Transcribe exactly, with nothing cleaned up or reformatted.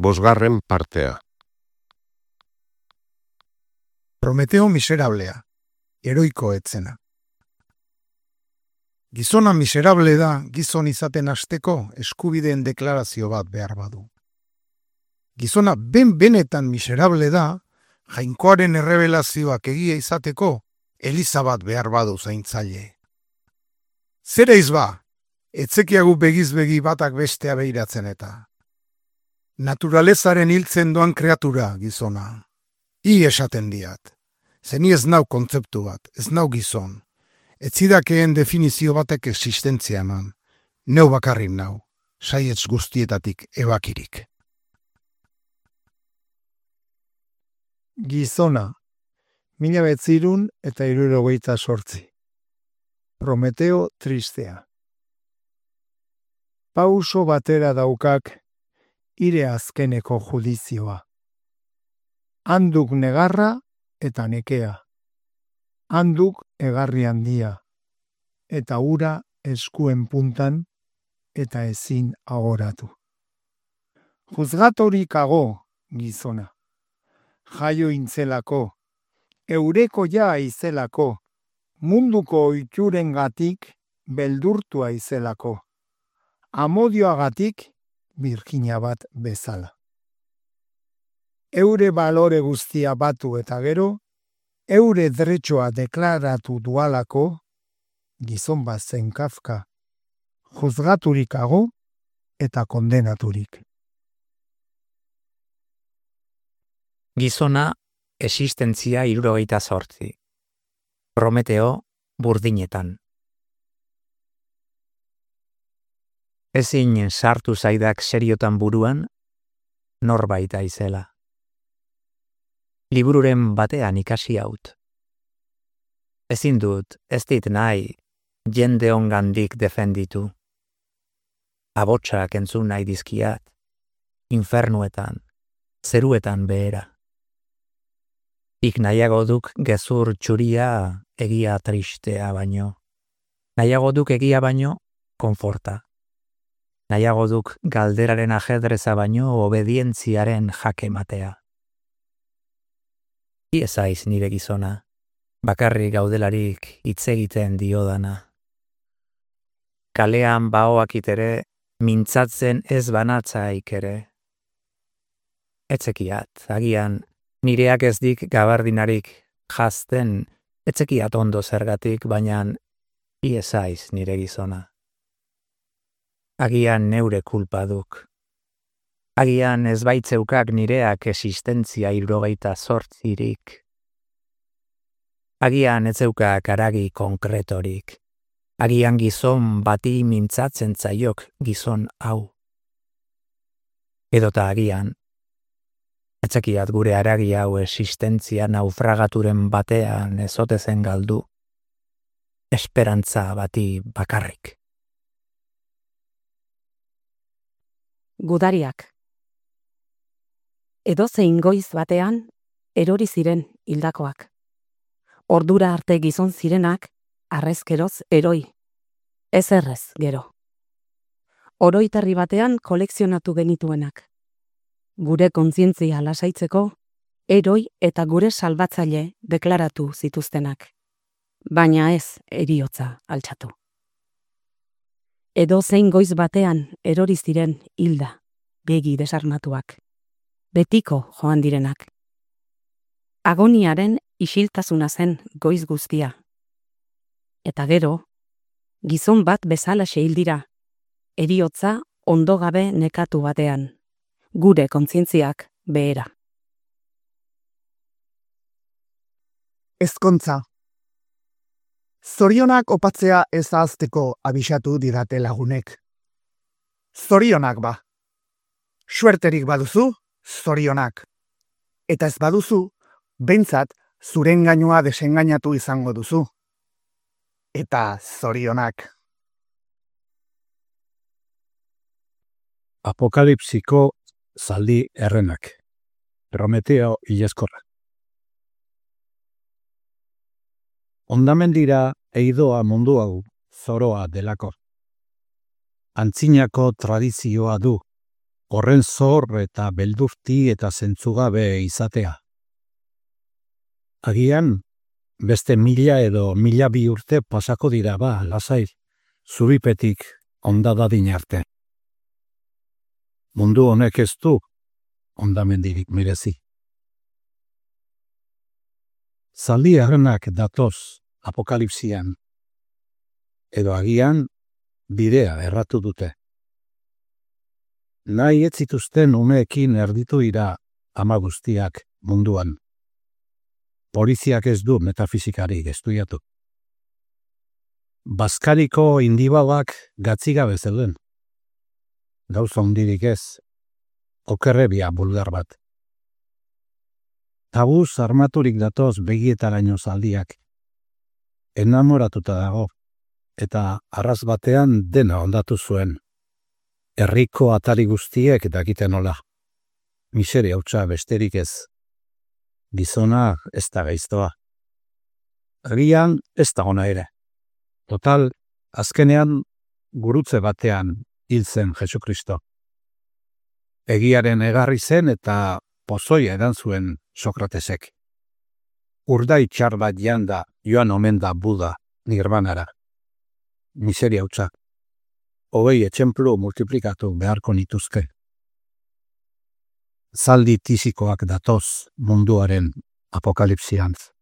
Bosgarren partea. Prometeo miserablea, heroiko etzena. Gizona miserable da gizon izaten hasteko eskubideen deklarazio bat behar badu. Gizona ben-benetan miserable da jainkoaren errebelazioak egia izateko eliza bat behar badu zaintzaile. Zera izba, etzekiagu begizbegi batak bestea behiratzen eta. Naturalezaren hiltzen doan kreatura gizona. I esaten diat. Zeni ez nau kontzeptu bat, ez nau gizon. Etzidakeen definizio batek existentzia eman. Neu bakarrik nau, saietz guztietatik ebakirik. Gizona, mila betzirun eta hirurogeita sortzi. Prometeo tristea. Pauso batera daukak ire azkeneko judizioa. Handuk negarra eta nekea. Handuk egarri handia. Eta ura eskuen puntan eta ezin agoratu. Juzgatorik ago, gizona. Jaio intzelako, eureko ja aizelako, munduko oiturengatik beldurtua aizelako, amodioagatik birjina bat bezala. Eure balore guztia batu eta gero, eure dretxoa deklaratu dualako, gizon bat zen Kafka, juzgaturik ago eta kondenaturik. Gizona, existentzia hirurogeita zortzi. Prometeo, burdinetan. Ezin sartu zaidak seriotan buruan, norbait aizela. Libururen batean ikasi haut. Ezin dut, ez dit nahi, jende ongandik defenditu. Abotsak entzun nahi dizkiat, infernuetan, zeruetan behera. Ik nahiago duk gezur txuria egia tristea baino. Nahiago duk egia baino, konforta. Nahiago duk galderaren ajedreza baino obedientziaren jake matea. Iezaiz nire gizona, bakarrik gaudelarik hitz egiten diodana. Kalean baoak itere, mintzatzen ez banatzaik ere. Etzekiat, agian, nireak ez dik gabardinarik jazten, etzekiat ondo zergatik, baina iezaiz nire gizona. Agian neure kulpa duk. Agian ez baitzeukak nireak existentzia hirurogeita zortzirik. Agian ez zeukak aragi konkretorik. Agian gizon bati mintzatzen zaiok gizon hau. Edota agian, etzekiat gure aragi hau existentzia naufragaturen batean ezotezen galdu, esperantza bati bakarrik. Gudariak. Edozein goiz batean, erori ziren hildakoak. Ordura arte gizon zirenak, arrezkeroz eroi. Ez errez, gero. Oroitarri batean kolekzionatu genituenak. Gure kontzientzia lasaitzeko, eroi eta gure salbatzaile deklaratu zituztenak. Baina ez heriotza altxatu. Edo zein goiz batean erori ziren hilda, begi desarmatuak. Betiko joan direnak. Agoniaren isiltasuna zen goiz guztia. Eta gero, gizon bat bezalaxe hildira, heriotza ondo gabe nekatu batean. Gure kontzientziak behera. Ezkontza. Zorionak opatzea ez ahazteko abisatu didate lagunek. Zorionak ba. Suerterik baduzu, zorionak. Eta ez baduzu, behintzat zuren gainua desengainatu izango duzu. Eta zorionak. Apokalipsiko zaldi errenak. Prometeo ileskorra. Ondamendira eidoa mundu hau zoroa delako. Antzinako tradizioa du, horren zor eta beldurti eta zentzugabe izatea. Agian, beste mila edo mila bi urte pasako dira ba, lasai, zuripetik ondadadin arte. Mundu honek ez du ondamendirik merezi. Zaldi errenak datoz apokalipsian, edo agian bidea erratu dute. Nahi ez zituzten umeekin erditu dira ama guztiak munduan. Poliziak ez du metafizikari estudiatu. Baskariko indibalak gatzigabe zeuden. Gauza hundirik ez, okerrebia bulgar bat. Tabuz armaturik datoz begietaraino zaldiak. Enamoratuta dago, eta arraz batean dena ondatu zuen. Herriko atari guztiek dakiten nola. Miseria hutsa besterik ez. Gizona ez da gaiztoa. Agian ez da ona ere. Total, azkenean gurutze batean hil zen Jesukristo. Egiaren egarri zen eta pozoia edan zuen Sokratesek. Urdai txar bat janda joan omen da Buda nirvanara. Miseria hutsa. Hogei etxemplu multiplikatu beharko nituzke. Zaldi tisikoak datoz munduaren apokalipsiantz.